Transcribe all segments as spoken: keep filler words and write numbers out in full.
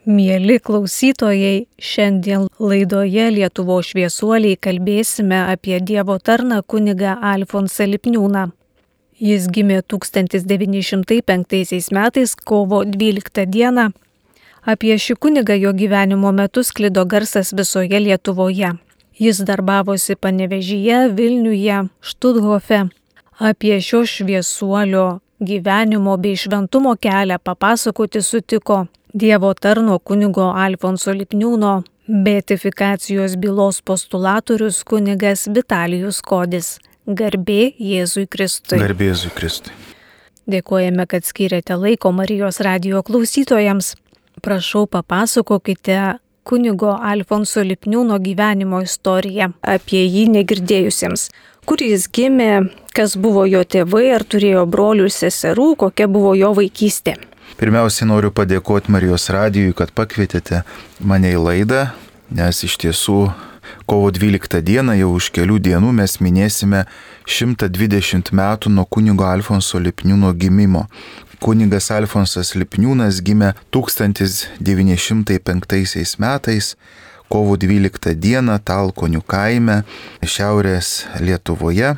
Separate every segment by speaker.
Speaker 1: Mieli klausytojai, šiandien laidoje Lietuvos šviesuoliai kalbėsime apie Dievo tarną kunigą Alfonsą Lipniūną. Jis gimė tūkstantis devyni šimtai penktaisiais metais kovo dvyliktą dieną. Apie šį kunigą jo gyvenimo metu sklido garsas visoje Lietuvoje. Jis darbavosi Panevėžyje, Vilniuje, Štuthofe. Apie šio šviesuolio gyvenimo bei šventumo kelią papasakoti sutiko Dievo tarno kunigo Alfonso Lipniūno beatifikacijos bylos postulatorius kunigas Vitalijus Kodis. Garbė Jėzui Kristui.
Speaker 2: Garbė Jėzui Kristui.
Speaker 1: Dėkojame, kad skyrėte laiko Marijos radijo klausytojams. Prašau, papasakokite kunigo Alfonso Lipniūno gyvenimo istoriją apie jį negirdėjusiems. Kur jis gimė, kas buvo jo tėvai, ar turėjo brolių ir seserų, kokia buvo jo vaikystė.
Speaker 2: Pirmiausiai noriu padėkoti Marijos radijui, kad pakvietėte mane į laidą, nes iš tiesų kovo dvyliktą dieną jau už kelių dienų mes minėsime šimtą dvidešimt metų nuo kunigo Alfonso Lipniūno gimimo. Kunigas Alfonsas Lipniūnas gimė tūkstantis devyni šimtai penktaisiais metais, kovo dvyliktą dieną Talkonių kaime, šiaurės Lietuvoje.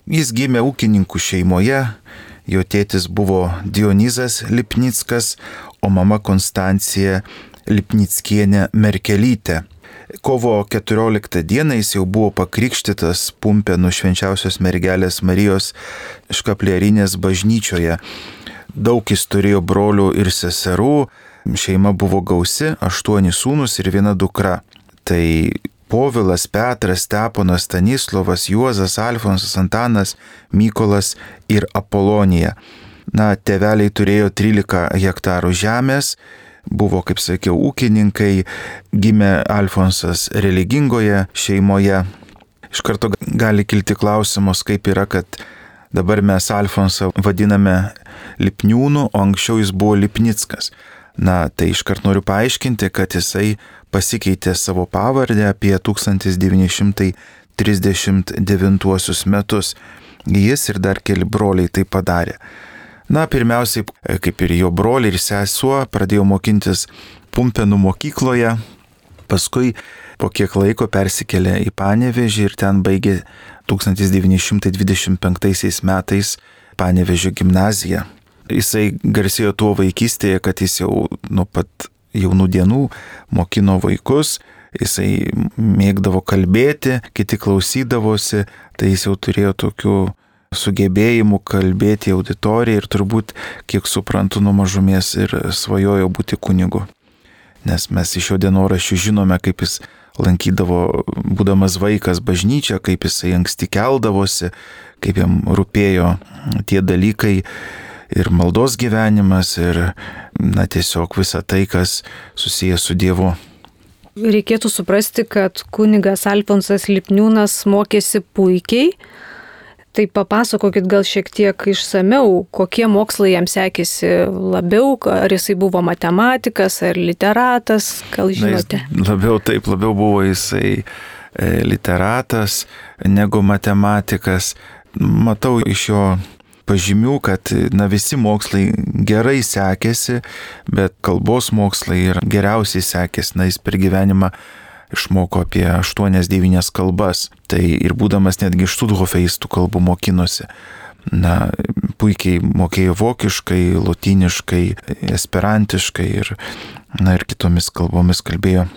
Speaker 2: Jis gimė ūkininkų šeimoje. Jo tėtis buvo Dionizas Lipnickas, o mama Konstancija Lipnickienė Merkelytė. Kovo keturioliktą dieną jis jau buvo pakrikštytas Pumpėnų Švenčiausios Mergelės Marijos Škaplierinės bažnyčioje. Daug jis turėjo brolių ir seserų, šeima buvo gausi, aštuoni sūnus ir viena dukra. Tai Povilas, Petras, Steponas, Stanislovas, Juozas, Alfonsas, Antanas, Mykolas ir Apolonija. Na, tėveliai turėjo trylika hektarų žemės, buvo, kaip sakiau, ūkininkai, gimė Alfonsas religingoje šeimoje. Iš karto gali kilti klausimus, kaip yra, kad dabar mes Alfonsą vadiname Lipniūnu, o anksčiau jis buvo Lipnickas. Na, tai iškart noriu paaiškinti, kad jisai pasikeitė savo pavardę apie tūkstantis devyni šimtai trisdešimt devintuosius metus. Jis ir dar keli broliai tai padarė. Na, pirmiausiai, kaip ir jo broliai ir sesuo, pradėjo mokintis Pumpėnų mokykloje, paskui po kiek laiko persikėlė į Panevėžį ir ten baigė tūkstantis devyni šimtai dvidešimt penktaisiais metais Panevėžio gimnaziją. Jisai garsėjo tuo vaikystėje, kad jis jau nuo pat jaunų dienų mokino vaikus, jisai mėgdavo kalbėti, kiti klausydavosi, tai jis jau turėjo tokių sugebėjimų kalbėti auditorijai ir turbūt, kiek suprantu, nuo mažumės ir svajojo būti kunigu. Nes mes iš jo dienoraščių žinome, kaip jis lankydavo, būdamas vaikas, bažnyčią, kaip jisai anksti keldavosi, kaip jam rūpėjo tie dalykai, ir maldos gyvenimas, ir na, tiesiog visa tai, kas susijęs su Dievu.
Speaker 1: Reikėtų suprasti, kad kunigas Alfonsas Lipniūnas mokėsi puikiai. Tai papasakokit gal šiek tiek išsamiau, kokie mokslai jam sekėsi labiau, ar jisai buvo matematikas ar literatas, gal žinote?
Speaker 2: Na, labiau taip, labiau buvo jisai literatas negu matematikas. Matau iš jo pažymių, kad na, visi mokslai gerai sekėsi, bet kalbos mokslai ir geriausiai sekėsi. Na, jis per gyvenimą išmoko apie aštuonias devynias kalbas. Tai ir būdamas netgi Štuthofe jis tų kalbų mokinosi. Na, puikiai mokėjo vokiškai, lotyniškai, esperantiškai ir, na, ir kitomis kalbomis kalbėjo.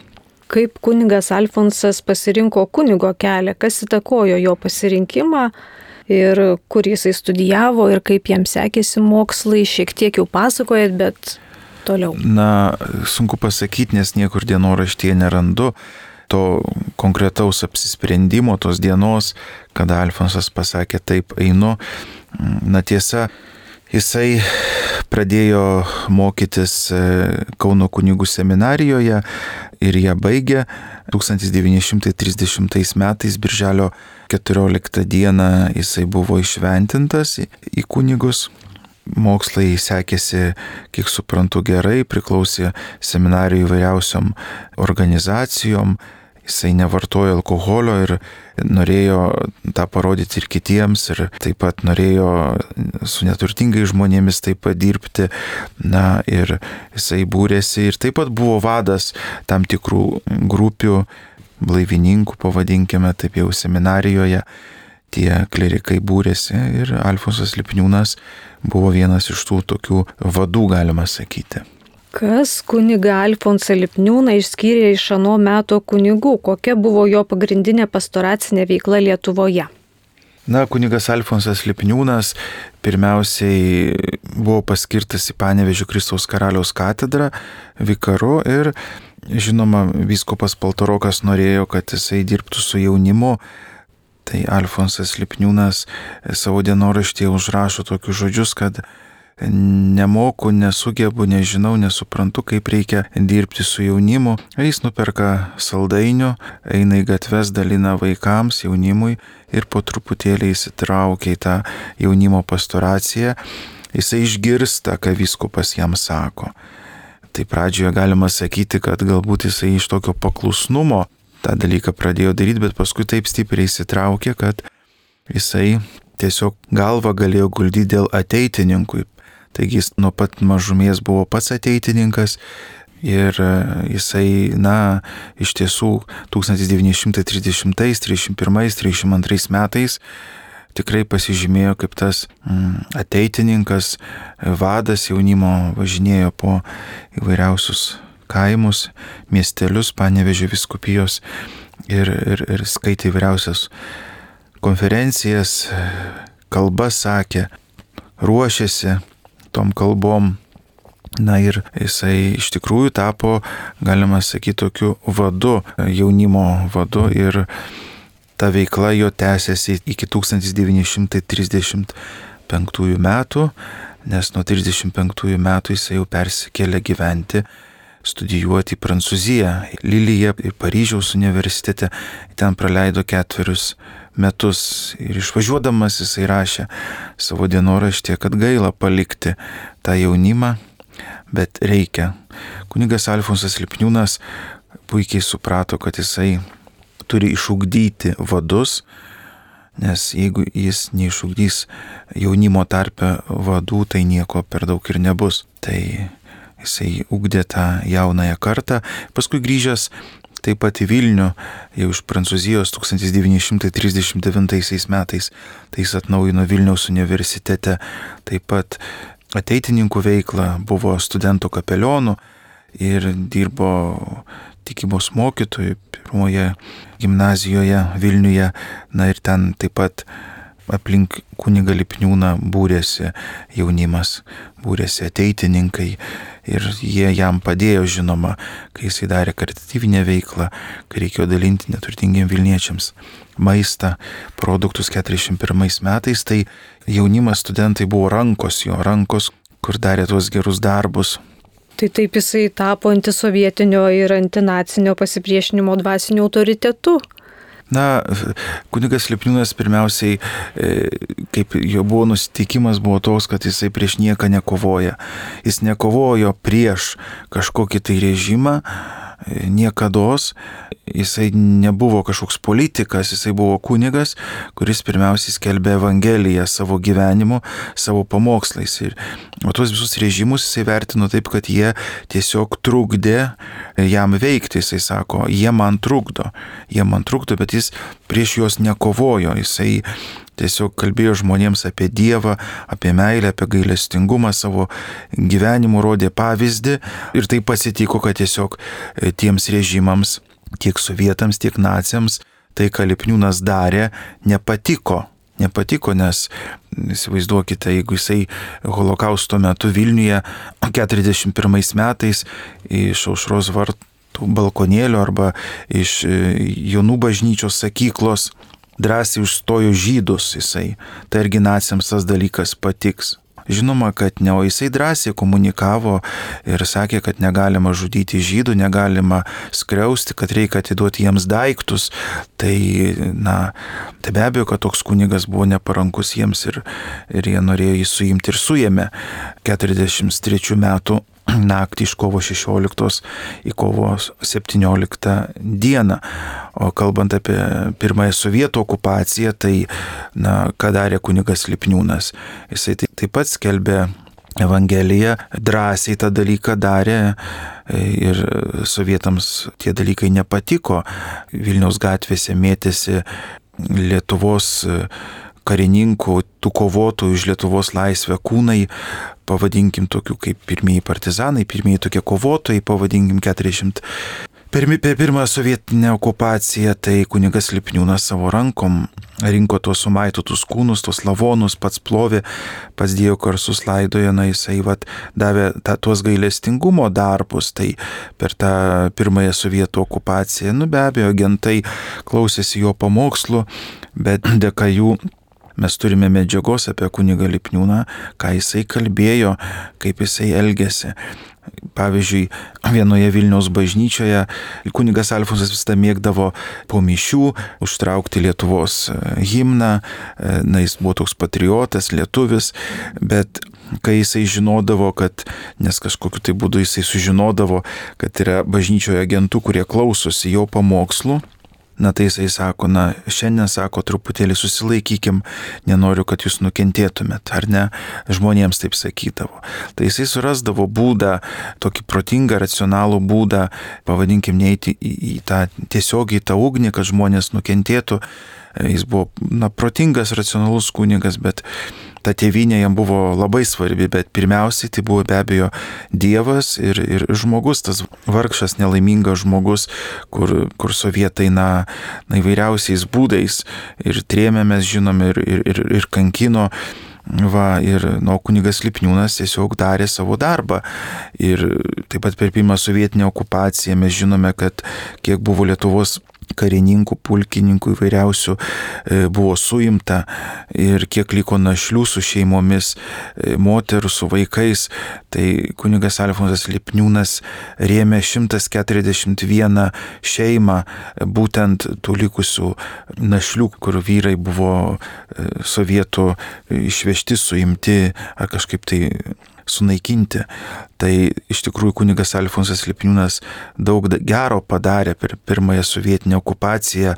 Speaker 1: Kaip kunigas Alfonsas pasirinko kunigo kelią, kas įtakojo jo pasirinkimą? Ir kur jisai studijavo ir kaip jam sekėsi mokslai, šiek tiek jau pasakojat, bet toliau.
Speaker 2: Na, sunku pasakyti, nes niekur dienoraštyje nerandu to konkretaus apsisprendimo, tos dienos, kada Alfonsas pasakė taip einu. Na tiesa, jisai pradėjo mokytis Kauno kunigų seminarijoje ir ją baigė tūkstantis devyni šimtai trisdešimtais metais, birželio keturioliktą dieną jisai buvo įšventintas į kunigus. Mokslai sekėsi, kiek suprantu, gerai, priklausė seminarijų įvairiausiom organizacijom jisai nevartojo alkoholio ir norėjo tą parodyti ir kitiems, ir taip pat norėjo su neturtingai žmonėmis taip pat dirbti. Na ir jisai būrėsi ir taip pat buvo vadas tam tikrų grupių, blaivininkų, pavadinkime taip jau seminarijoje. Tie klerikai būrėsi ir Alfonsas Lipniūnas buvo vienas iš tų tokių vadų, galima sakyti.
Speaker 1: Kas kunigą Alfonsą Lipniūną išskyrė iš ano meto kunigų? Kokia buvo jo pagrindinė pastoracinė veikla Lietuvoje?
Speaker 2: Na, kunigas Alfonsas Lipniūnas pirmiausiai buvo paskirtas į Panevėžio Kristaus Karaliaus katedrą vikaru ir, žinoma, vyskupas Paltarokas norėjo, kad jisai dirbtų su jaunimu. Tai Alfonsas Lipniūnas savo dienoraštyje užrašo tokius žodžius, kad nemoku, nesugebu, nežinau, nesuprantu, kaip reikia dirbti su jaunimu. Jis nuperka saldainių, eina į gatves, dalina vaikams, jaunimui ir po truputėlį įsitraukia į tą jaunimo pastoraciją. Jisai išgirsta, ką vyskupas jam sako. Tai pradžioje galima sakyti, kad galbūt jisai iš tokio paklusnumo tą dalyką pradėjo daryti, bet paskui taip stipriai įsitraukė, kad jisai tiesiog galvą galėjo guldyti dėl ateitininkų. Taigi jis nuo pat mažumės buvo pats ateitininkas ir jisai, na, iš tiesų tūkstantis devyni šimtai trisdešimtais, trisdešimt pirmais, trisdešimt antrais metais tikrai pasižymėjo kaip tas mm, ateitininkas, vadas jaunimo, važinėjo po įvairiausius kaimus, miestelius Panevėžio vyskupijos ir, ir, ir skaitė įvairiausias konferencijas, kalbas sakė, ruošėsi tom kalbom. Na ir jisai iš tikrųjų tapo, galima sakyti, tokiu vadu, jaunimo vadu ir ta veikla jo tęsiasi iki tūkstantis devyni šimtai trisdešimt penktųjų metų, nes nuo trisdešimt penktųjų metų jisai jau persikėlė gyventi, studijuoti į Prancūziją, Lilyje ir Paryžiaus universitete. Ten praleido ketverius metus ir išvažiuodamas jisai rašė savo dienoraštyje, kad gaila palikti tą jaunimą, bet reikia. Kunigas Alfonsas Lipniūnas puikiai suprato, kad jisai turi išugdyti vadus, nes jeigu jis neišugdys jaunimo tarpe vadų, tai nieko per daug ir nebus. Tai jisai ugdė tą jaunąją kartą. Paskui grįžęs taip pat į Vilnių, jau iš Prancūzijos tūkstantis devyni šimtai trisdešimt devintaisiais metais, tai jis atnaujino Vilniaus universitete taip pat ateitininkų veiklą, buvo studentų kapelionu ir dirbo tikybos mokytojų pirmoje gimnazijoje Vilniuje. Na ir ten taip pat aplink kunigą Lipniūną būrėsi jaunimas, būrėsi ateitininkai ir jie jam padėjo, žinoma, kai jisai darė karitatyvinę veiklą, kai reikėjo dalinti neturtingiems vilniečiams maistą, produktus keturiasdešimt pirmais metais, tai jaunimas, studentai buvo rankos, jo rankos, kur darė tuos gerus darbus.
Speaker 1: Tai taip jisai tapo antisovietinio ir antinacinio pasipriešinimo dvasiniu autoritetu.
Speaker 2: Na, kunigas Lipniūnas pirmiausiai, kaip jo buvo nusiteikimas, buvo toks, kad jisai prieš nieką nekovoja. Jis nekovojo prieš kažkokį tai režimą, niekados. Jisai nebuvo kažkoks politikas, jisai buvo kunigas, kuris pirmiausiai skelbė Evangeliją savo gyvenimu, savo pamokslais. Ir o tuos visus režimus jisai vertino taip, kad jie tiesiog trukdė jam veikti. Jisai sako, jie man trukdo, jie man trukdo, bet jis prieš juos nekovojo. Jisai tiesiog kalbėjo žmonėms apie Dievą, apie meilę, apie gailestingumą, savo gyvenimu rodė pavyzdį ir tai pasitiko, kad tiesiog tiems režimams, tiek sovietams, tiek naciams, tai, ką Lipniūnas darė, nepatiko. Nepatiko, nes įsivaizduokite, jeigu jisai holokausto metu Vilniuje keturiasdešimt pirmais metais iš Aušros vartų balkonėlio arba iš Jonų bažnyčios sakyklos drąsiai užstojo žydus, jisai, tai irgi naciams tas dalykas patiks. Žinoma, kad ne, o jisai drąsiai komunikavo ir sakė, kad negalima žudyti žydų, negalima skriausti, kad reikia atiduoti jiems daiktus. Tai, na, tai be abejo, kad toks kunigas buvo neparankus jiems ir, ir jie norėjo jį suimti ir suėmė keturiasdešimt trečių metų naktį iš kovo šešioliktos į kovo septynioliktą dieną. O kalbant apie pirmąją sovietų okupaciją, tai, na, ką darė kunigas Lipniūnas? Jisai taip pat skelbė Evangeliją, drąsiai tą dalyką darė ir sovietams tie dalykai nepatiko. Vilniaus gatvėse mėtėsi Lietuvos karininkų, tų kovotojų už Lietuvos laisvę kūnai, pavadinkim tokių kaip pirmieji partizanai, pirmieji tokie kovotojai, pavadinkim keturiasdešimt. Per, per pirmą sovietinę okupaciją tai kunigas Lipniūnas savo rankom rinko tuos sumaitytus kūnus, tuos lavonus, pats plovė, pats dėjo karsus, laidojo, na jisai vat, davė ta, tuos gailestingumo darbus, tai per tą pirmąją sovietų okupaciją, nu be abejo, agentai klausėsi jo pamokslų, bet dėka jų mes turime medžiagos apie kunigą Lipniūną, ką jisai kalbėjo, kaip jisai elgėsi. Pavyzdžiui, vienoje Vilniaus bažnyčioje kunigas Alfonsas visada mėgdavo po mišių užtraukti Lietuvos himną, na jis buvo toks patriotas, lietuvis, bet kai jisai žinodavo, kad, nes kažkokiu tai būdu jisai sužinodavo, kad yra bažnyčioje agentų, kurie klausosi jo pamokslų, na tai jisai sako, na šiandien sako, truputėlį susilaikykim, nenoriu, kad jūs nukentėtumėt, ar ne, žmonėms taip sakydavo. Tai jisai surasdavo būdą, tokį protingą, racionalų būdą, pavadinkim, neiti į, į tą tiesiogiai tą ugnį, kad žmonės nukentėtų. Jis buvo, na, protingas, racionalus kunigas, bet ta tėvynė jam buvo labai svarbi, bet pirmiausiai tai buvo be abejo Dievas ir, ir žmogus, tas vargšas, nelaimingas žmogus, kur, kur sovietai, na, na įvairiausiais būdais ir trėmė, mes žinom, ir, ir, ir, ir kankino. Va, ir nu, kunigas Lipniūnas tiesiog darė savo darbą. Ir taip pat per pirmą sovietinę okupaciją mes žinome, kad kiek buvo Lietuvos karininkų, pulkininkų įvairiausių buvo suimta ir kiek liko našlių su šeimomis, moterų su vaikais. Tai kunigas Alfonsas Lipniūnas rėmė šimtas keturiasdešimt vieną šeimą, būtent tų likusių našlių, kur vyrai buvo sovietų išvežti, suimti ar kažkaip tai sunaikinti. Tai iš tikrųjų kunigas Alfonsas Lipniūnas daug gero padarė per pirmąją sovietinę okupaciją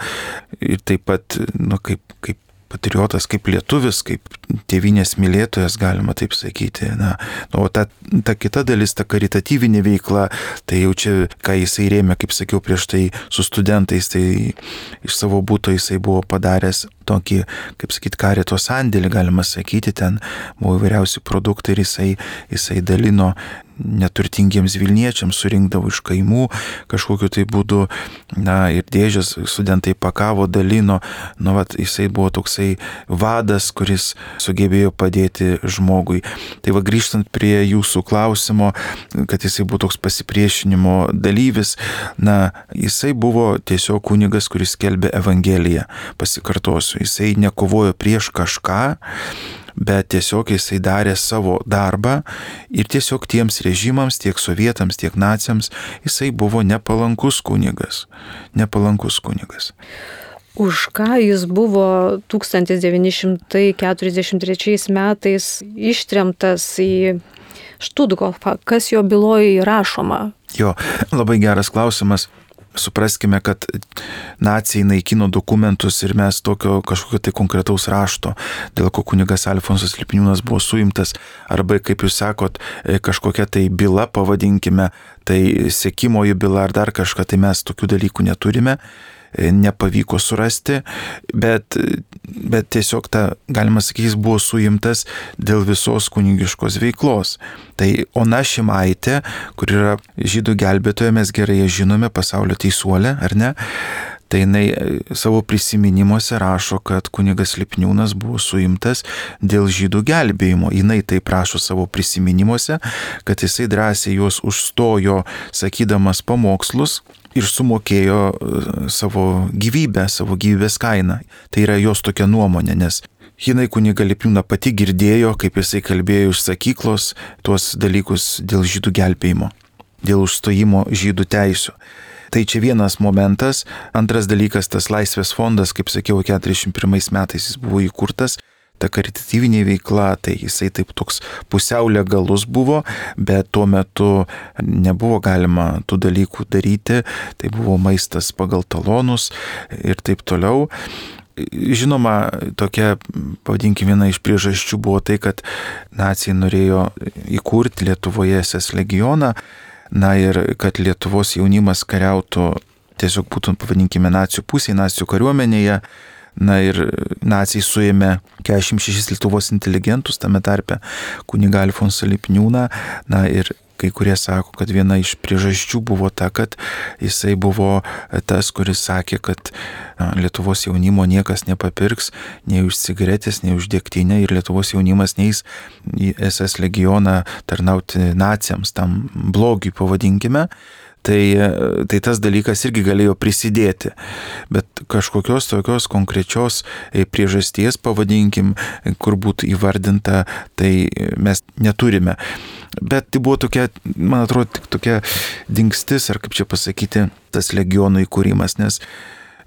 Speaker 2: ir taip pat, nu, kaip, kaip patriotas, kaip lietuvis, kaip tėvynės mylėtojas, galima taip sakyti. Na, o ta, ta kita dalis, ta karitatyvinė veikla, tai jau čia, ką jisai rėmė, kaip sakiau prieš tai, su studentais, tai iš savo būto jisai buvo padaręs tokį, kaip sakyt, karito sandėlį, galima sakyti, ten buvo įvairiausi produktai ir jisai, jisai dalino neturtingiems Vilniečiams, surinkdavo iš kaimų kažkokiu tai būdu, na ir dėžės studentai pakavo, dalino, nu vat jisai buvo toksai vadas, kuris sugebėjo padėti žmogui. Tai va, grįžtant prie jūsų klausimo, kad jisai buvo toks pasipriešinimo dalyvis, na jisai buvo tiesiog kunigas, kuris skelbė Evangeliją, pasikartosiu, jisai nekovojo prieš kažką, bet tiesiog jisai darė savo darbą ir tiesiog tiems režimams, tiek sovietams, tiek naciams, jisai buvo nepalankus kunigas. Nepalankus kunigas.
Speaker 1: Už ką jis buvo tūkstantis devyni šimtai keturiasdešimt trečiais metais ištremtas į Štuthofą? Kas jo byloje įrašoma?
Speaker 2: Jo, labai geras klausimas. Supraskime, kad nacijai naikino dokumentus ir mes tokio kažkokio tai konkretaus rašto, dėl ko kunigas Alfonsas Lipniūnas buvo suimtas, arba, kaip jūs sakot, kažkokia tai byla, pavadinkime, tai sekimoji byla ar dar kažką, tai mes tokių dalykų neturime. Nepavyko surasti, bet, bet tiesiog ta, galima sakyti, jis buvo suimtas dėl visos kunigiškos veiklos. Tai Ona Šimaitė, kur yra žydų gelbėtoja, mes gerai ją žinome, pasaulio teisuolė, ar ne? Tai jinai savo prisiminimuose rašo, kad kunigas Lipniūnas buvo suimtas dėl žydų gelbėjimo. Jinai taip rašo savo prisiminimuose, kad jisai drąsiai juos užstojo, sakydamas pamokslus, ir sumokėjo savo gyvybę, savo gyvybės kainą. Tai yra jos tokia nuomonė, nes jinai kunigą Lipniūną pati girdėjo, kaip jisai kalbėjo iš sakyklos tuos dalykus dėl žydų gelbėjimo, dėl užstojimo žydų teisių. Tai čia vienas momentas. Antras dalykas, tas Laisvės fondas, kaip sakiau, keturiasdešimt pirmais metais jis buvo įkurtas. ta karitatyvinė veikla, tai jisai taip toks pusiau legalus buvo, bet tuo metu nebuvo galima tų dalykų daryti, tai buvo maistas pagal talonus ir taip toliau. Žinoma, tokia, pavadinkime, viena iš priežasčių buvo tai, kad naciai norėjo įkurti Lietuvoje es es legioną, na ir kad Lietuvos jaunimas kariautų, tiesiog būtų, pavadinkime, nacių pusėje, nacių kariuomenėje. Na ir naciai suėmė keturiasdešimt šešis Lietuvos inteligentus, tame tarpe kunigą Alfonsą Lipniūną, na ir kai kurie sako, kad viena iš priežasčių buvo ta, kad jisai buvo tas, kuris sakė, kad Lietuvos jaunimo niekas nepapirks nei už cigaretės, nei už degtinę ir Lietuvos jaunimas neis į es es legioną tarnauti naciams, tam blogiui pavadinkime. Tai, tai tas dalykas irgi galėjo prisidėti, bet kažkokios tokios konkrečios priežasties, pavadinkim, kur būtų įvardinta, tai mes neturime. Bet tai buvo tokia, man atrodo, tik tokia dingstis, ar kaip čia pasakyti, tas legionų įkūrimas, nes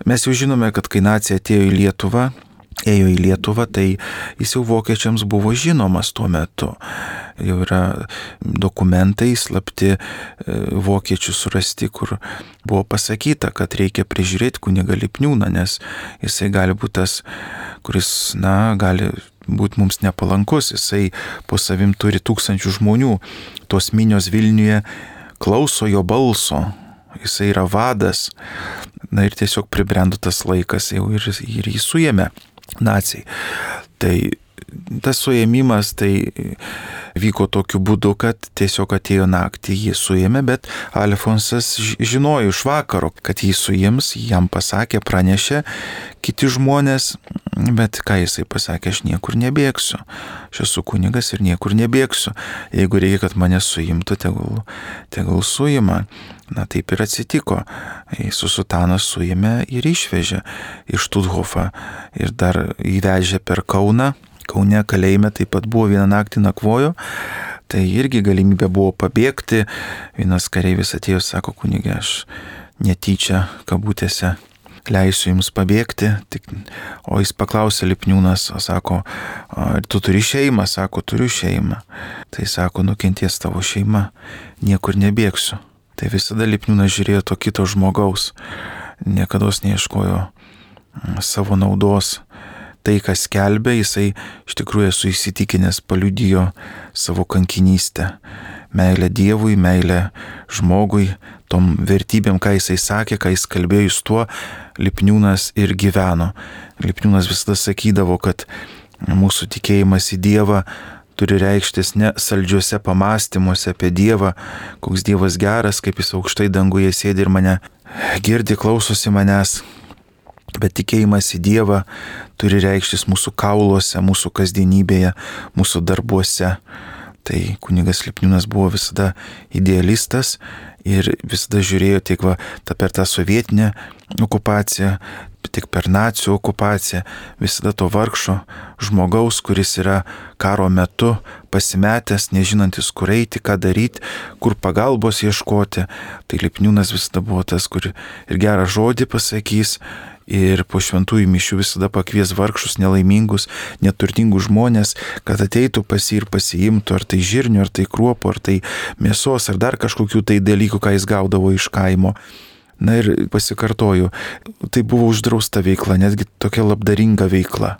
Speaker 2: mes jau žinome, kad kai nacija atėjo į Lietuvą, ėjo į Lietuvą, tai jis jau vokiečiams buvo žinomas tuo metu. Jau yra dokumentai slapti vokiečių surasti, kur buvo pasakyta, kad reikia prižiūrėti kunigą Lipniūną, nes jisai gali būti tas, kuris, na, gali būti mums nepalankus. Jisai po savim turi tūkstančių žmonių. Tos minios Vilniuje klauso jo balso. Jisai yra vadas. Na ir tiesiog pribrendo tas laikas jau ir, ir jį suėmė naciai. Tai tas suėmimas tai vyko tokiu būdu, kad tiesiog atėjo naktį, jį suėmė, bet Alfonsas žinojo iš vakaro, kad jį suims, jam pasakė, pranešė kiti žmonės, bet ką jisai pasakė, aš niekur nebėgsiu. Aš esu kunigas ir niekur nebėgsiu. Jeigu reikia, kad mane suimtų, tegul, tegul suima. Na taip ir atsitiko. Su sutaną suėmė ir išvežė iš Štuthofą ir dar įvežė per Kauną. Kaune kalėjime taip pat buvo vieną naktį nakvojo, tai irgi galimybė buvo pabėgti. Vienas kareivis atėjo, sako, kunigė, aš netyčia, kabutėse, leisiu jums pabėgti. Tik, o jis paklausė Lipniūnas, sako, ar tu turi šeimą? Sako, turiu šeimą. Tai sako, nukenties tavo šeima, niekur nebėgsiu. Tai visada Lipniūnas žiūrėjo to kito žmogaus, niekados neieškojo savo naudos. Tai, kas skelbė, jisai iš tikrųjų esu įsitikinęs, paliudijo savo kankinystę. Meilę Dievui, meilę žmogui, tom vertybėm, ką jisai sakė, ką jis kalbėjo, jis tuo Lipniūnas ir gyveno. Lipniūnas visada sakydavo, kad mūsų tikėjimas į Dievą turi reikštis ne saldžiuose pamastymuose apie Dievą, koks Dievas geras, kaip jis aukštai danguje sėdi ir mane girdi, klausosi manęs. Bet tikėjimas į Dievą turi reikštis mūsų kauluose, mūsų kasdienybėje, mūsų darbuose. Tai kunigas Lipniūnas buvo visada idealistas ir visada žiūrėjo tiek va, ta per tą sovietinę okupaciją, tiek per nacių okupaciją, visada to vargšo žmogaus, kuris yra karo metu pasimetęs, nežinantis, kur eiti, ką daryti, kur pagalbos ieškoti. Tai Lipniūnas visada buvo tas, kur ir gerą žodį pasakys, ir po šventųjų mišių visada pakvies vargšus, nelaimingus, neturtingus žmonės, kad ateitų pas jį ir pasiimtų, ar tai žirnių, ar tai kruopų, ar tai mėsos, ar dar kažkokių tai dalykų, ką jis gaudavo iš kaimo. Na ir pasikartoju, tai buvo uždrausta veikla, netgi tokia labdaringa veikla.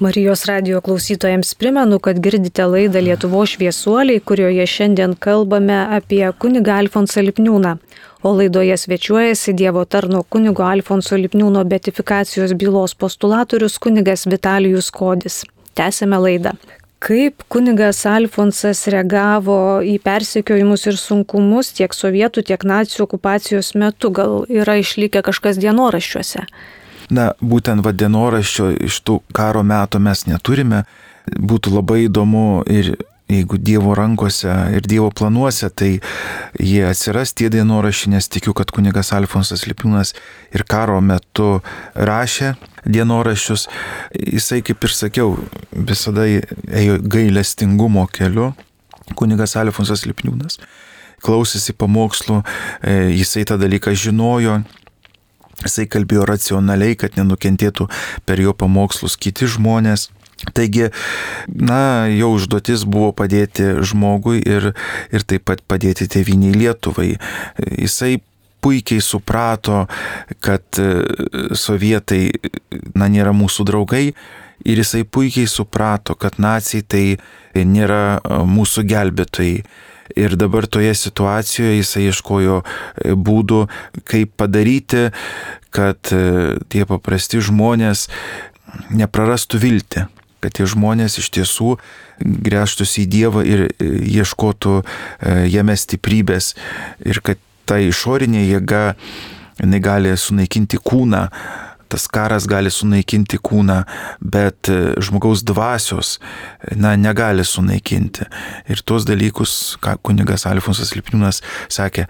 Speaker 1: Marijos radijo klausytojams primenu, kad girdite laidą Lietuvos šviesuoliai, kurioje šiandien kalbame apie kunigą Alfonsą Lipniūną. O laidoje svečiuojasi Dievo tarno kunigo Alfonso Lipniūno beatifikacijos bylos postulatorius kunigas Vitalijus Kodis. Tęsime laidą. Kaip kunigas Alfonsas reagavo į persekiojimus ir sunkumus tiek sovietų, tiek nacių okupacijos metu? Gal yra išlikę kažkas dienoraščiuose?
Speaker 2: Na, būtent va dienoraščio iš tų karo metų mes neturime. Būtų labai įdomu ir jeigu Dievo rankose ir Dievo planuose, tai jie atsiras tie dienoraščiai, nes tikiu, kad kunigas Alfonsas Lipniūnas ir karo metu rašė dienoraščius. Jisai, kaip ir sakiau, visada ėjo gailestingumo keliu, kunigas Alfonsas Lipniūnas. Klausėsi pamokslų, jisai tą dalyką žinojo, jisai kalbėjo racionaliai, kad nenukentėtų per jo pamokslus kiti žmonės. Taigi, na, jo užduotis buvo padėti žmogui ir, ir taip pat padėti tėvyniai Lietuvai. Jisai puikiai suprato, kad sovietai, na, nėra mūsų draugai ir jisai puikiai suprato, kad naciai tai nėra mūsų gelbėtojai. Ir dabar toje situacijoje jisai ieškojo būdų, kaip padaryti, kad tie paprasti žmonės neprarastų viltį, kad tie žmonės iš tiesų gręžtųsi į Dievą ir ieškotų jame stiprybės ir kad ta išorinė jėga, jinai gali sunaikinti kūną, tas karas gali sunaikinti kūną, bet žmogaus dvasios, na, negali sunaikinti. Ir tuos dalykus, ką kunigas Alfonsas Lipniūnas sakė,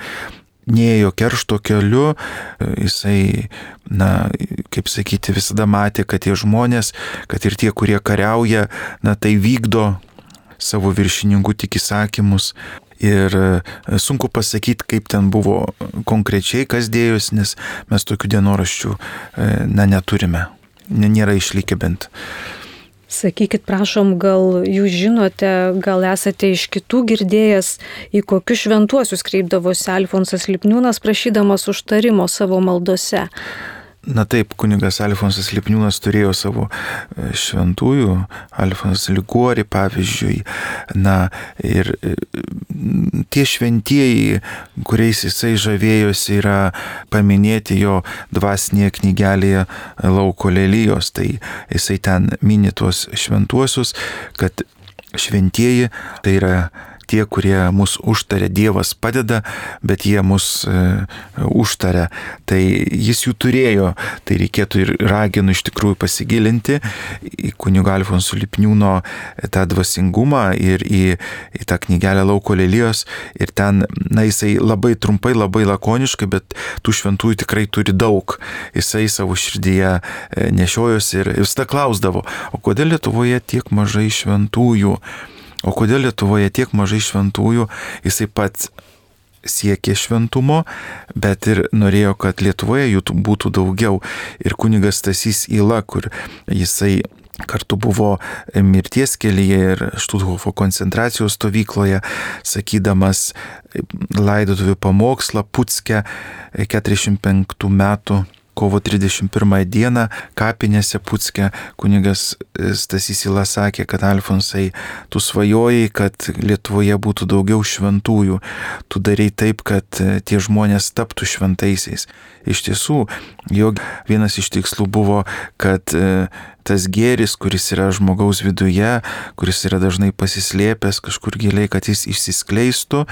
Speaker 2: neėjo keršto keliu, jisai, na, kaip sakyti, visada matė, kad tie žmonės, kad ir tie, kurie kariauja, na, tai vykdo savo viršininkų tik įsakymus. Ir sunku pasakyti, kaip ten buvo konkrečiai, kas dėjosi, nes mes tokių dienoraščių, na, neturime, nėra išlikę bent.
Speaker 1: Sakykit, prašom, gal jūs žinote, gal esate iš kitų girdėjęs, į kokius šventuosius kreipdavosi Alfonsas Lipniūnas, prašydamas užtarimo savo maldose?
Speaker 2: Na taip, kunigas Alfonsas Lipniūnas turėjo savo šventųjų, Alfonsas Liguori pavyzdžiui, na ir tie šventieji, kuriais jisai žavėjosi, yra paminėti jo dvasinėje knygelėje Lauko lelijos, tai jisai ten mini tuos šventuosius, kad šventieji tai yra tie, kurie mus užtaria, Dievas padeda, bet jie mus e, užtaria. Tai jis jų turėjo, tai reikėtų ir raginu iš tikrųjų pasigilinti į kunigo Alfonso Lipniūno tą dvasingumą ir į, į tą knygelę Lauko lelijos. Ir ten, na, jisai labai trumpai, labai lakoniškai, bet tų šventųjų tikrai turi daug. Jisai savo širdyje nešiojosi ir visada klausdavo, o kodėl Lietuvoje tiek mažai šventųjų? O kodėl Lietuvoje tiek mažai šventųjų? Jisai pats siekė šventumo, bet ir norėjo, kad Lietuvoje jų būtų daugiau. Ir kunigas Stasys Yla, kur jisai kartu buvo mirties kelyje ir Štuthofo koncentracijos stovykloje, sakydamas laidotuvių pamokslą Pucke keturiasdešimt penktų metų kovo trisdešimt pirmąją dieną kapinėse Pucke, kunigas Stasys Yla sakė, kad Alfonsai, tu svajojai, kad Lietuvoje būtų daugiau šventųjų, tu darei taip, kad tie žmonės taptų šventaisiais. Iš tiesų, jo vienas iš tikslų buvo, kad tas gėris, kuris yra žmogaus viduje, kuris yra dažnai pasislėpęs kažkur giliai, kad jis išsiskleistų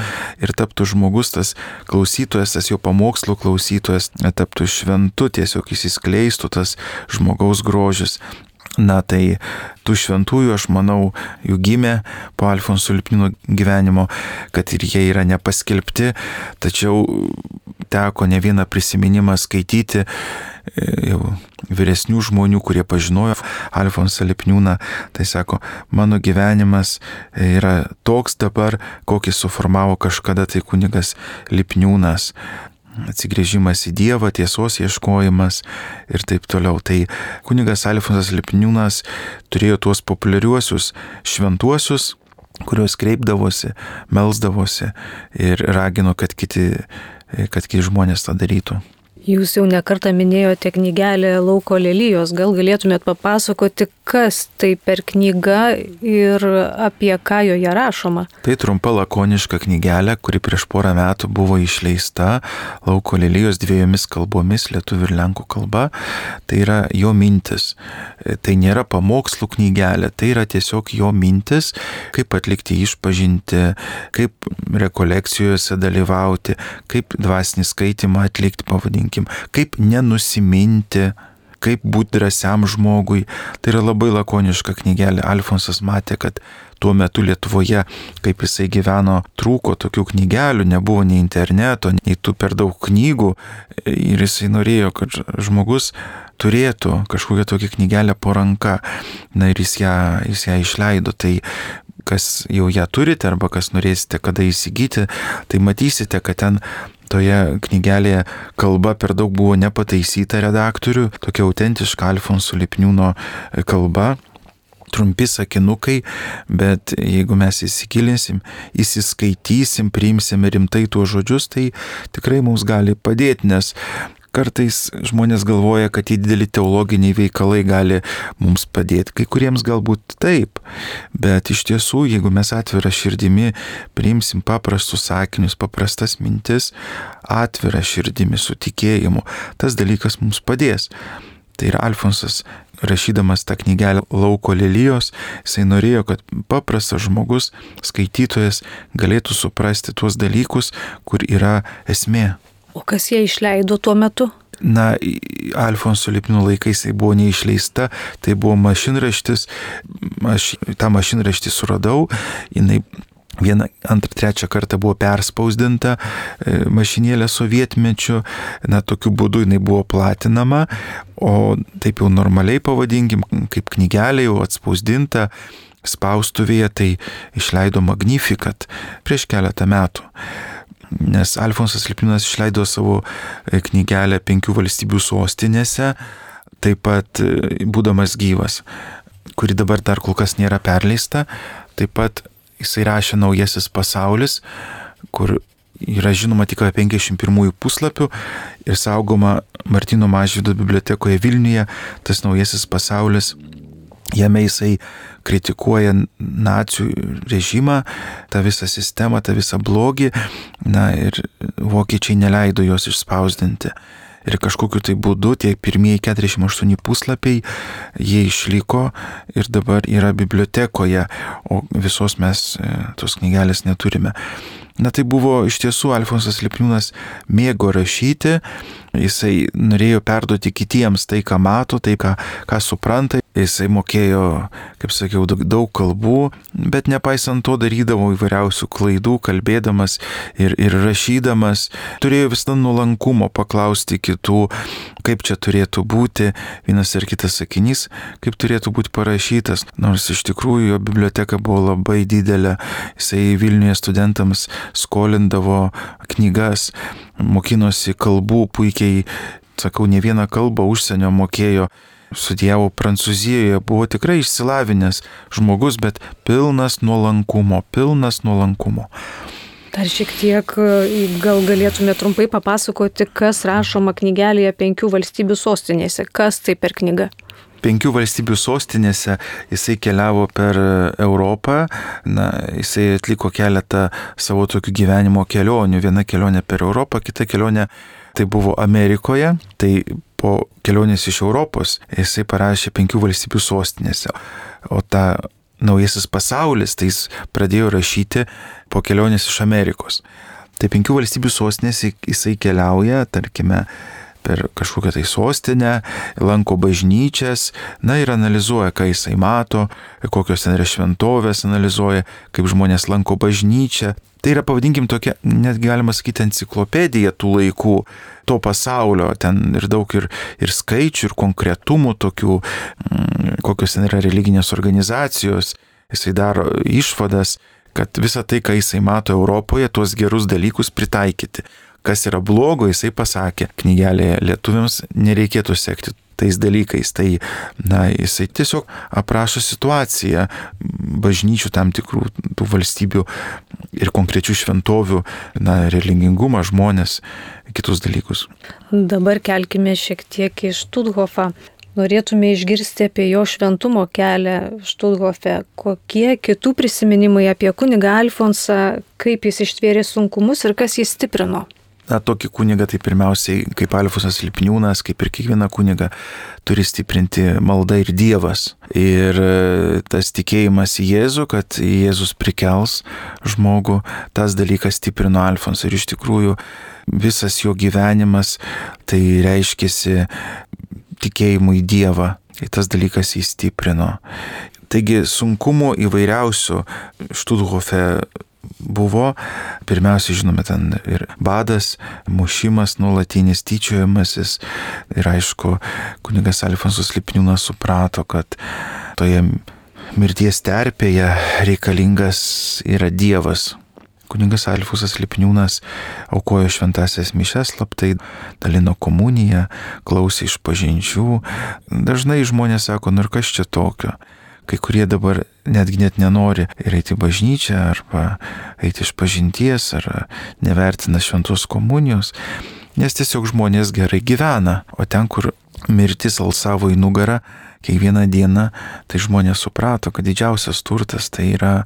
Speaker 2: ir taptų žmogus, tas klausytojas, tas jo pamokslų klausytojas, taptų šventu, tiesiog išsiskleistų tas žmogaus grožis. Na tai tų šventųjų, aš manau, jų gimė po Alfonso Lipniūno gyvenimo, kad ir jie yra nepaskelbti, tačiau teko ne vieną prisiminimą skaityti jau vyresnių žmonių, kurie pažinojo Alfonsą Lipniūną. Tai sako, mano gyvenimas yra toks dabar, kokį suformavo kažkada tai kunigas Lipniūnas. Atsigrėžimas į Dievą, tiesos ieškojimas ir taip toliau. Tai kunigas Alfonsas Lipniūnas turėjo tuos populiariuosius šventuosius, kuriuos kreipdavosi, melsdavosi ir ragino, kad kiti, kad kiti žmonės tą darytų.
Speaker 1: Jūs jau nekartą minėjote knygelę Lauko lelijos, gal galėtumėt papasakoti, kas tai per knyga ir apie ką joje rašoma?
Speaker 2: Tai trumpa lakoniška knygelė, kuri prieš porą metų buvo išleista Lauko lelijos dviejomis kalbomis, lietuvių ir lenkų kalba. Tai yra jo mintis. Tai nėra pamokslų knygelė, tai yra tiesiog jo mintis, kaip atlikti išpažinti, kaip rekolekcijose dalyvauti, kaip dvasinį skaitimą atlikti, pavadinti, kaip nenusiminti, kaip būti drąsiam žmogui. Tai yra labai lakoniška knygelė. Alfonsas matė, kad tuo metu Lietuvoje, kaip jisai gyveno, trūko tokių knygelių, nebuvo nei interneto, nei tų per daug knygų. Ir jisai norėjo, kad žmogus turėtų kažkokią tokią knygelę po ranka. Na ir jis ją, jis ją išleido. Tai kas jau ją turite arba kas norėsite kada įsigyti, tai matysite, kad ten toje knygelėje kalba per daug buvo nepataisyta redaktorių, tokia autentiška Alfonso Lipniūno kalba. trumpi sakinukai, bet jeigu mes įsigilinsim, įsiskaitysim, priimsim rimtai tuos žodžius, tai tikrai mums gali padėti, nes kartais žmonės galvoja, kad tie dideli teologiniai veikalai gali mums padėti. Kai kuriems galbūt taip, bet iš tiesų, jeigu mes atvira širdimi priimsim paprastus sakinius, paprastas mintis, atvira širdimi su tikėjimu, tas dalykas mums padės. Tai ir Alfonsas, rašydamas tą knygelę Lauko lelijos, jisai norėjo, kad paprastas žmogus, skaitytojas galėtų suprasti tuos dalykus, kur yra esmė.
Speaker 1: O kas jie išleido tuo metu?
Speaker 2: Na, Alfonso Lipniūno laikais tai buvo neišleista, tai buvo mašinraštis, aš tą mašinraštį suradau, jinai vieną, antrą, trečią kartą buvo perspausdinta mašinėlė sovietmečiu, na, tokiu būdu jinai buvo platinama, o taip jau normaliai pavadinkim, kaip knygelė jau atspausdinta spaustuvėje, tai išleido Magnificat prieš keletą metų. Nes Alfonsas Lipniūnas išleido savo knygelę Penkių valstybių sostinėse, taip pat būdamas gyvas, kuri dabar dar kol kas nėra perleista. Taip pat jisai rašė Naujasis pasaulis, kur yra žinoma tik apie penkiasdešimt pirmųjų puslapių ir saugoma Martyno Mažvydo bibliotekoje Vilniuje. Tas Naujasis pasaulis, jame jisai kritikuoja nacių režimą, tą visą sistemą, tą visą blogį, na ir vokiečiai neleido jos išspausdinti. Ir kažkokiu tai būdu tie pirmieji keturiasdešimt aštuoni puslapiai, jie išliko ir dabar yra bibliotekoje, o visos mes tos knygelės neturime. Na tai buvo iš tiesų Alfonsas Lipniūnas mėgo rašyti, jisai norėjo perduoti kitiems tai, ką mato, tai, ką, ką supranta. Jisai mokėjo, kaip sakiau, daug, daug kalbų, bet nepaisant to darydavo įvairiausių klaidų, kalbėdamas ir, ir rašydamas. Turėjo visą nuolankumo paklausti kitų, kaip čia turėtų būti vienas ar kitas sakinys, kaip turėtų būti parašytas. Nors iš tikrųjų jo biblioteka buvo labai didelė. Jisai Vilniuje studentams skolindavo knygas, mokinosi kalbų puikiai, sakau, ne vieną kalbą užsienio mokėjo. Studijavo Prancūzijoje, buvo tikrai išsilavinęs žmogus, bet pilnas nuolankumo, pilnas nuolankumo.
Speaker 1: Dar šiek tiek gal galėtume trumpai papasakoti, kas rašoma knygelėje Penkių valstybių sostinėse. Kas tai per knyga?
Speaker 2: Penkių valstybių sostinėse jisai keliavo per Europą, na, jisai atliko keletą savo tokių gyvenimo kelionių. Viena kelionė per Europą, kita kelionė tai buvo Amerikoje, tai po kelionės iš Europos jisai parašė Penkių valstybių sostinėse. O tą Naujasis pasaulis, tai jis pradėjo rašyti po kelionės iš Amerikos. Tai Penkių valstybių sostinėse jisai keliauja, tarkime, per kažkokią tai sostinę, lanko bažnyčias, na ir analizuoja, ką jisai mato, kokios ten yra šventovės, analizuoja, kaip žmonės lanko bažnyčią. Tai yra, pavadinkim, tokia, net galima sakyti, enciklopedija tų laikų, to pasaulio, ten ir daug ir, ir skaičių, ir konkretumų tokių, kokios ten yra religinės organizacijos. Jisai daro išvadas, kad visą tai, ką jisai mato Europoje, tuos gerus dalykus pritaikyti. Kas yra blogo, jisai pasakė knygelėje, lietuviams nereikėtų sekti tais dalykais. Tai, na, jisai tiesiog aprašo situaciją bažnyčių tam tikrų tų valstybių ir konkrečių šventovių, na, religingumą, žmonės, kitus dalykus.
Speaker 1: Dabar kelkime šiek tiek į Štuthofą. Norėtume išgirsti apie jo šventumo kelią Štuthofe. Kokie kitų prisiminimai apie kunigą Alfonsą, kaip jis ištvėrė sunkumus ir kas jį stiprino?
Speaker 2: Na, tokį kunigą tai pirmiausiai, kaip Alfonsas Lipniūnas, kaip ir kiekviena kuniga, turi stiprinti malda ir Dievas. Ir tas tikėjimas į Jėzų, kad Jėzus prikels žmogų, tas dalykas stiprino Alfonsą. Ir iš tikrųjų visas jo gyvenimas tai reiškėsi tikėjimu į Dievą. Ir tas dalykas jį stiprino. Taigi sunkumų įvairiausių Štuthofe buvo. Pirmiausia, žinome, ten ir badas, mušimas, nuolatinis tyčiojimasis. Ir aišku, kunigas Alfonsas Lipniūnas suprato, kad toje mirties terpėje reikalingas yra Dievas. Kunigas Alfonsas Lipniūnas aukojo šventąsias mišias slaptai, dalino komuniją, klausė išpažinčių. Dažnai žmonės sako, nu ir kas čia tokio? kai kurie dabar netgi net nenori ir eiti į bažnyčią, arba eiti iš pažinties, ar nevertina šventos komunijos, nes tiesiog žmonės gerai gyvena, o ten, kur mirtis alsavo į nugarą kiekvieną dieną, tai žmonės suprato, kad didžiausias turtas tai yra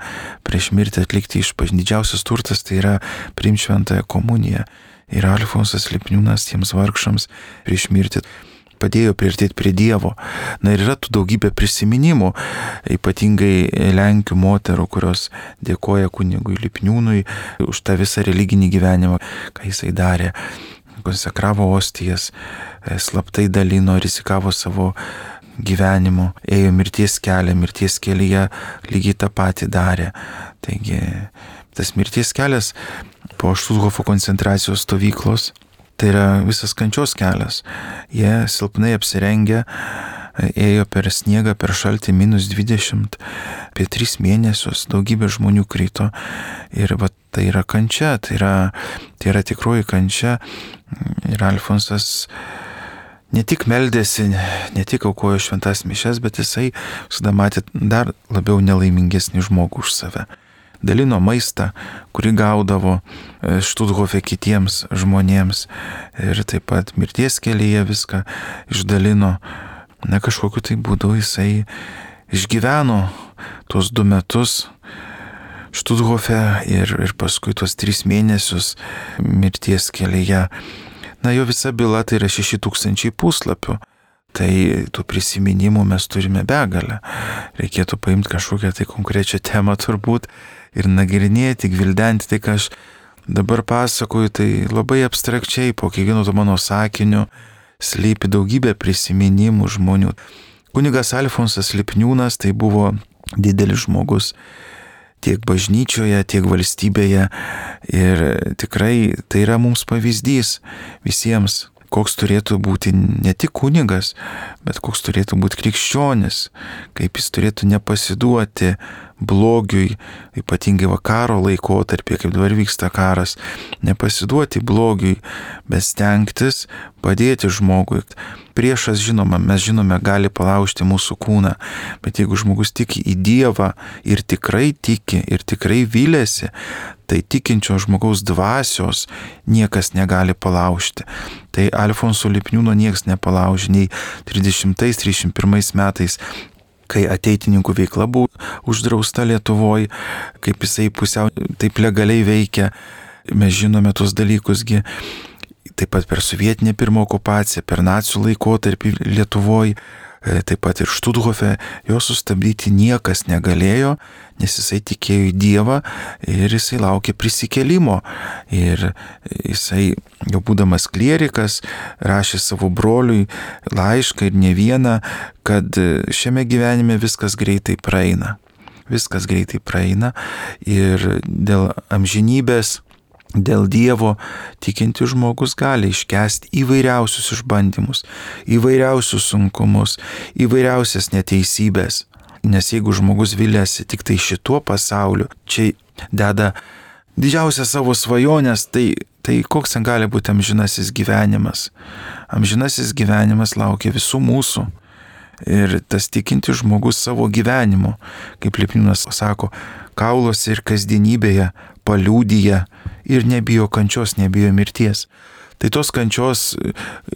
Speaker 2: prieš mirtį atlikti išpažinti, didžiausias turtas tai yra priimti šventąją komuniją. Ir Alfonsas Lipniūnas tiems vargšams prieš mirtį padėjo priartėti prie Dievo. Na ir yra tų daugybė prisiminimų, ypatingai lenkių moterų, kurios dėkoja kunigui Lipniūnui už tą visą religinį gyvenimą, ką jisai darė. Konsekravo ostijas, slaptai dalino, rizikavo savo gyvenimu, ėjo mirties kelią, mirties kelyje lygiai tą patį darė. Taigi tas mirties kelias po Štuthofo koncentracijos stovyklos, tai yra visas kančios kelias. Jie silpnai apsirengę, ėjo per sniegą, per šaltį minus dvidešimt, apie tris mėnesius, daugybė žmonių krito. Ir va, tai yra kančia, tai yra, tai yra tikroji kančia. Ir Alfonsas ne tik meldėsi, ne tik aukojo šventas mišias, bet jisai visada matė dar labiau nelaimingesnį žmogų už save. Dalino maistą, kurį gaudavo Štuthofe kitiems žmonėms, ir taip pat mirties kelyje viską išdalino. Na, kažkokiu tai būdu jisai išgyveno tuos du metus Štuthofe ir, ir paskui tuos tris mėnesius mirties kelyje. Na, jo visa byla tai yra šeši tūkstančiai puslapių. Tai tų prisiminimų mes turime begalę. Reikėtų paimti kažkokią tai konkrečią temą turbūt ir nagrinėti, gvildenti. Tai, ką aš dabar pasakoju, tai labai abstrakčiai, po kiekvieno to mano sakiniu slypi daugybė prisiminimų žmonių. Kunigas Alfonsas Lipniūnas tai buvo didelis žmogus tiek bažnyčioje, tiek valstybėje, ir tikrai tai yra mums pavyzdys visiems, koks turėtų būti ne tik kunigas, bet koks turėtų būti krikščionis, kaip jis turėtų nepasiduoti blogiui, ypatingai karo laikotarpį, kaip dabar vyksta karas, nepasiduoti blogiui, bet stengtis padėti žmogui. Priešas, žinoma, mes žinome, gali palaužti mūsų kūną, bet jeigu žmogus tiki į Dievą ir tikrai tiki ir tikrai vylėsi, tai tikinčio žmogaus dvasios niekas negali palaužti. Tai Alfonso Lipniūno niekas nepalaužė nei trisdešimtais trisdešimt pirmais metais, kai ateitininkų veikla buvo uždrausta Lietuvoje, kaip jisai pusiau taip legaliai veikia. Mes žinome tos dalykusgi. Taip pat per sovietinę pirmą okupaciją, per nacių laikotarpį Lietuvoje, taip pat ir Štuthofe, jo sustabdyti niekas negalėjo, nes jisai tikėjo į Dievą ir jisai laukė prisikėlimo. Ir jisai, jau būdamas klierikas, rašė savo broliui laišką ir ne vieną, kad šiame gyvenime viskas greitai praeina. Viskas greitai praeina ir dėl amžinybės, dėl Dievo tikinti žmogus gali iškęsti įvairiausius išbandymus, įvairiausius sunkumus, įvairiausias neteisybės. Nes jeigu žmogus viliasi tik tai šituo pasauliu, čia deda didžiausią savo svajonės, tai, tai koks ten gali būti amžinasis gyvenimas? Amžinasis gyvenimas laukia visų mūsų. Ir tas tikinti žmogus savo gyvenimu, kaip Lipniūnas sako, kauluose ir kasdienybėje paliūdija ir nebijo kančios, nebijo mirties. Tai tos kančios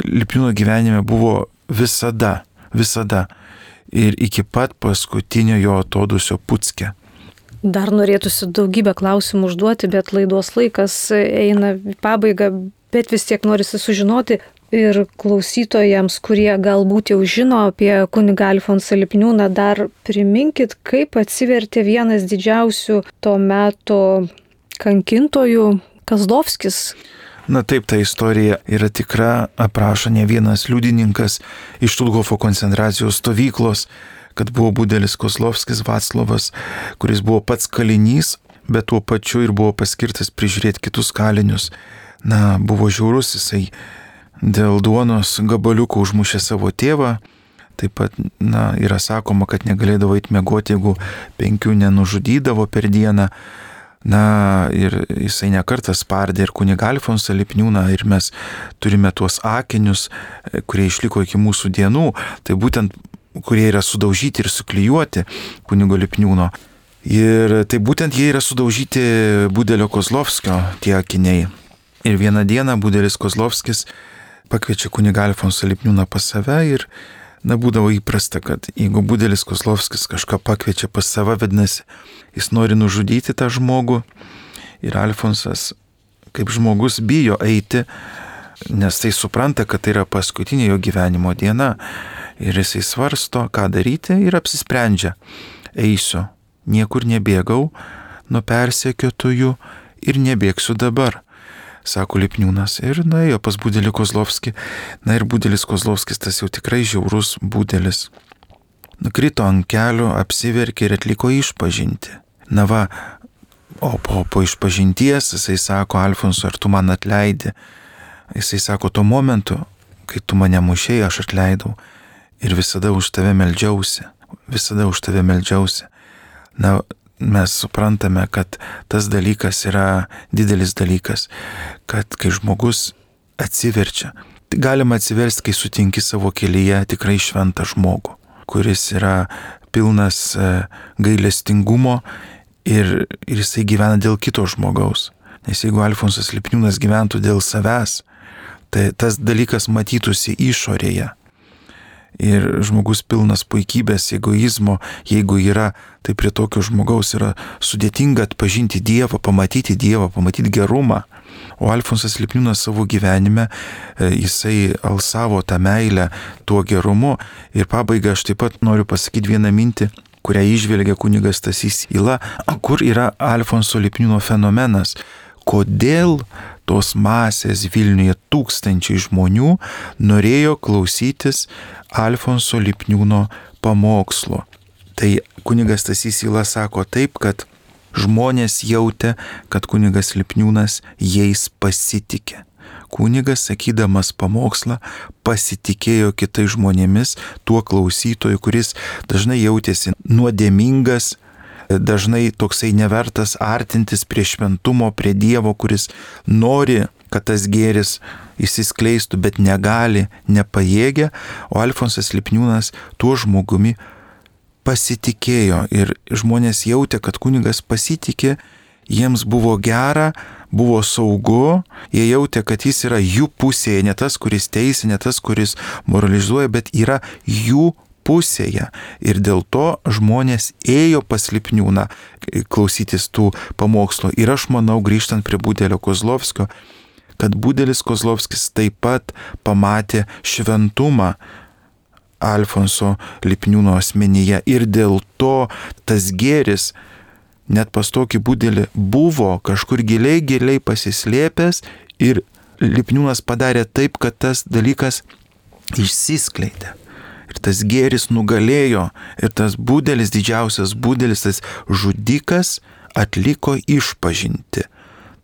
Speaker 2: Lipniūno gyvenime buvo visada, visada. Ir iki pat paskutinio jo atodūsio Pucke.
Speaker 1: Dar norėtųsi daugybę klausimų užduoti, bet laidos laikas eina į pabaigą, bet vis tiek norisi sužinoti ir klausytojams, kurie galbūt jau žino apie kunigą Alfonsą Lipniūną, dar priminkit, kaip atsivertė vienas didžiausių to meto kankintojų, Kazdovskis.
Speaker 2: Na taip, ta istorija yra tikra, aprašo ne vienas liudininkas iš Štuthofo koncentracijos stovyklos, kad buvo budelis Kozlovskis Vaclovas, kuris buvo pats kalinys, bet tuo pačiu ir buvo paskirtas prižiūrėti kitus kalinius. Na, buvo žiaurus, jisai dėl duonos gabaliukų užmušė savo tėvą. Taip pat, na, yra sakoma, kad negalėdavo eiti miegoti, jeigu penkių nenužudydavo per dieną. Na, ir jisai nekartą spardė ir kunigą Alfonsą Lipniūną, ir mes turime tuos akinius, kurie išliko iki mūsų dienų. Tai būtent kurie yra sudaužyti ir suklijuoti kunigo Lipniūno. Ir tai būtent jie yra sudaužyti Budelio Kozlovskio tie akiniai. Ir vieną dieną Budelis Kozlovskis pakviečia kunigą Alfonsą Lipniūną pas save ir, na, būdavo įprasta, kad jeigu Budelis Kozlovskis kažką pakviečia pas save, vadinasi, jis nori nužudyti tą žmogų. Ir Alfonsas, kaip žmogus, bijo eiti, nes tai supranta, kad tai yra paskutinė jo gyvenimo diena. Ir jisai svarsto, ką daryti ir apsisprendžia. Eisiu, niekur nebėgau nuo persekiotojų ir nebėgsiu dabar, sako Lipniūnas. Ir nuėjo pas Budelį Kozlovskį. Na ir Budelis Kozlovskis, tas jau tikrai žiaurus Budelis, nukrito ant kelių, apsiverkė ir atliko išpažintį. Na va, o po, po išpažinties jisai sako: Alfonsui, ar tu man atleidi? Jisai sako: tuo momentu, kai tu mane mušėjai, aš atleidau. Ir visada už tave meldžiausi, visada už tave meldžiausi. Na, mes suprantame, kad tas dalykas yra didelis dalykas, kad kai žmogus atsiverčia, tai galima atsiversti, kai sutinki savo kelyje tikrai šventą žmogų, kuris yra pilnas gailestingumo ir, ir jisai gyvena dėl kito žmogaus. Nes jeigu Alfonsas Lipniūnas gyventų dėl savęs, tai tas dalykas matytųsi išorėje. Ir žmogus pilnas puikybės, egoizmo, jeigu yra, tai prie tokio žmogaus yra sudėtinga atpažinti Dievą, pamatyti Dievą, pamatyti gerumą. O Alfonsas Lipniūnas savo gyvenime, jisai alsavo tą meilę tuo gerumu. Ir pabaigai aš taip pat noriu pasakyti vieną mintį, kurią įžvelgia kunigas Stasys Yla, kur yra Alfonso Lipniūno fenomenas. Kodėl tos masės Vilniuje, tūkstančiai žmonių, norėjo klausytis Alfonso Lipniūno pamokslo? Tai kunigas Stasys Yla sako taip, kad žmonės jautė, kad kunigas Lipniūnas jais pasitikė. Kunigas, sakydamas pamokslą, pasitikėjo kitais žmonėmis, tuo klausytoju, kuris dažnai jautėsi nuodėmingas, dažnai toksai nevertas artintis prie šventumo, prie Dievo, kuris nori, kad tas gėris išsiskleistų, bet negali, nepajėgia. O Alfonsas Lipniūnas tuo žmogumi pasitikėjo ir žmonės jautė, kad kunigas pasitikė, jiems buvo gera, buvo saugu, jie jautė, kad jis yra jų pusėje, ne tas, kuris teisia, ne tas, kuris moralizuoja, bet yra jų pusėje. Ir dėl to žmonės ėjo pas Lipniūną klausytis tų pamokslo. Ir aš manau, grįžtant prie Budelio Kozlovskio, kad Budelis Kozlovskis taip pat pamatė šventumą Alfonso Lipniūno asmenyje. Ir dėl to tas gėris net pas tokį Budelį buvo kažkur giliai, giliai pasislėpęs ir Lipniūnas padarė taip, kad tas dalykas išsiskleidė. Ir tas gėris nugalėjo ir tas Budelis, didžiausias Budelis, tas žudikas atliko išpažinti.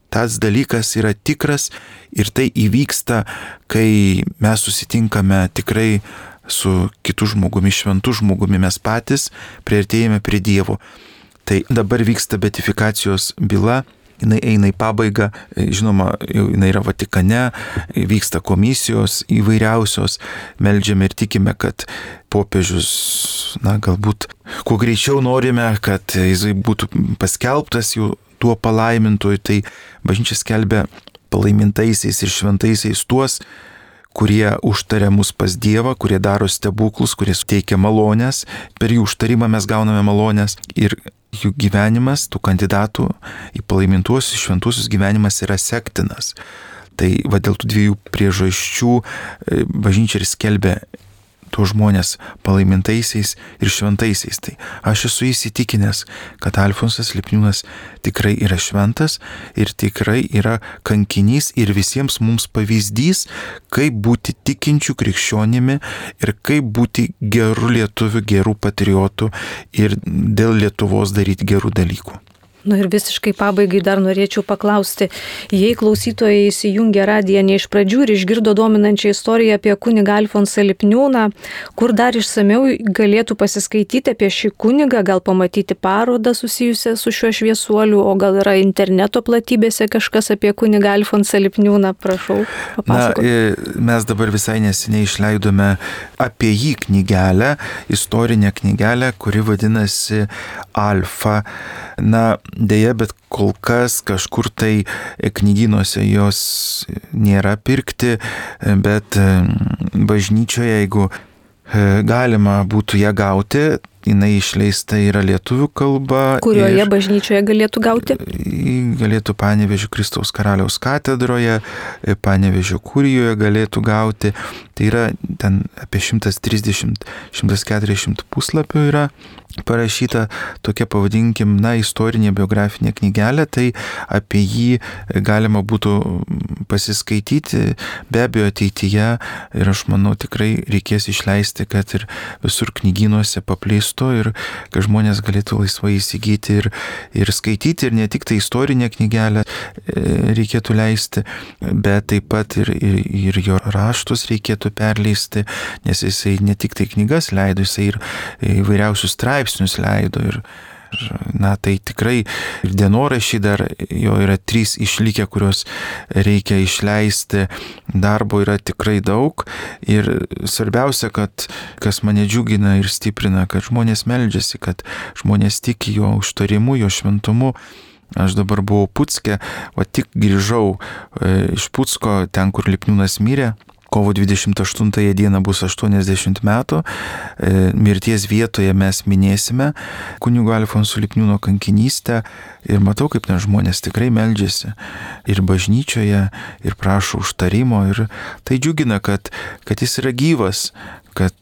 Speaker 2: Tas dalykas yra tikras ir tai įvyksta, kai mes susitinkame tikrai su kitu žmogumi, šventu žmogumi, mes patys priartėjame prie Dievo. Tai dabar vyksta beatifikacijos byla, jinai eina į pabaigą, žinoma, jinai yra Vatikane, vyksta komisijos įvairiausios, meldžiame ir tikime, kad popiežius, na, galbūt kuo greičiau norime, kad jisai būtų paskelbtas jų tuo palaimintoju. Tai bažnyčia skelbia palaimintaisiais ir šventaisiais tuos, kurie užtaria mus pas Dievą, kurie daro stebuklus, kurie suteikia malonės, per jų užtarimą mes gauname malonės ir jų gyvenimas, tų kandidatų į palaimintuosius šventuosius gyvenimas yra sektinas. Tai va dėl tų dviejų priežasčių bažnyčia ir skelbia tuos žmonės palaimintaisiais ir šventaisiais. Tai aš esu įsitikinęs, kad Alfonsas Lipniūnas tikrai yra šventas ir tikrai yra kankinys ir visiems mums pavyzdys, kaip būti tikinčių krikščionimi ir kaip būti gerų lietuvių, gerų patriotų ir dėl Lietuvos daryti gerų dalykų.
Speaker 1: Nu ir visiškai pabaigai dar norėčiau paklausti, jei klausytojai įsijungė radiją ne iš pradžių ir išgirdo dominančią istoriją apie kunigą Alfonsą Lipniūną, kur dar išsamiau galėtų pasiskaityti apie šį kunigą, gal pamatyti parodą susijusią su šiuo šviesuoliu, o gal yra interneto platybėse kažkas apie kunigą Alfonsą Lipniūną, prašau, papasakoti.
Speaker 2: Na, mes dabar visai neseniai išleidome apie jį knygelę, istorinę knygelę, kuri vadinasi Alfa. Na, dėja, bet kol kas kažkur tai knygynuose jos nėra pirkti, bet bažnyčioje, jeigu galima būtų ją gauti, jinai išleista yra lietuvių kalba.
Speaker 1: Kurioje bažnyčioje galėtų gauti?
Speaker 2: Galėtų Panevėžio Kristaus Karaliaus katedroje, Panevėžio kurijoje galėtų gauti. Tai yra ten apie šimtas trisdešimt - šimtas keturiasdešimt puslapių yra parašyta tokia, pavadinkim, na, istorinė biografinė knygelė, tai apie jį galima būtų pasiskaityti, be abejo ateityje, ir aš manau tikrai reikės išleisti, kad ir visur knygynuose paplistų ir kad žmonės galėtų laisvai įsigyti ir, ir skaityti, ir ne tik tai istorinę knygelę reikėtų leisti, bet taip pat ir, ir, ir jo raštus reikėtų perleisti, nes jisai ne tik tai knygas leido, jisai ir įvairiausius straipsnius leido ir, na, tai tikrai ir dienoraščiai dar jo yra trys išlikę, kuriuos reikia išleisti, darbo yra tikrai daug ir svarbiausia, kad kas mane džiugina ir stiprina, kad žmonės meldžiasi, kad žmonės tiki jo užtarimu, jo šventumu. Aš dabar buvau Pucke, o tik grįžau e, iš Pucko, ten, kur Lipniūnas mirė. Kovo dvidešimt aštuntąją dieną bus aštuoniasdešimt metų. E, mirties vietoje mes minėsime kunigo Alfonso Lipniūno kankinystę ir matau, kaip ten žmonės tikrai meldžiasi ir bažnyčioje, ir prašo užtarimo. Ir tai džiugina, kad, kad jis yra gyvas, kad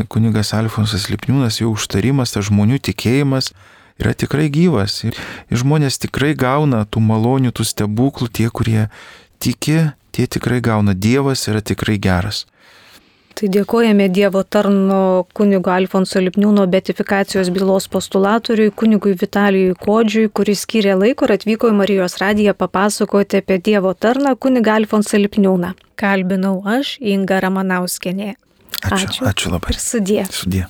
Speaker 2: kunigas Alfonsas Lipniūnas, jo užtarimas, tas žmonių tikėjimas yra tikrai gyvas. Ir, ir žmonės tikrai gauna tų malonių, tų stebuklų, tie, kurie tiki, tie tikrai gauna. Dievas yra tikrai geras.
Speaker 1: Tai dėkojame Dievo tarno kunigo Alfonso Lipniūno beatifikacijos bylos postulatoriui, kunigui Vitalijui Kodžiui, kuris skyrė laiko ir atvyko į Marijos radiją papasakoti apie Dievo tarną kunigą Alfonsą Lipniūną. Kalbinau aš, Inga Ramanauskienė.
Speaker 2: Ačiū, ačiū, ačiū labai.
Speaker 1: Ir sudie.
Speaker 2: Sudie.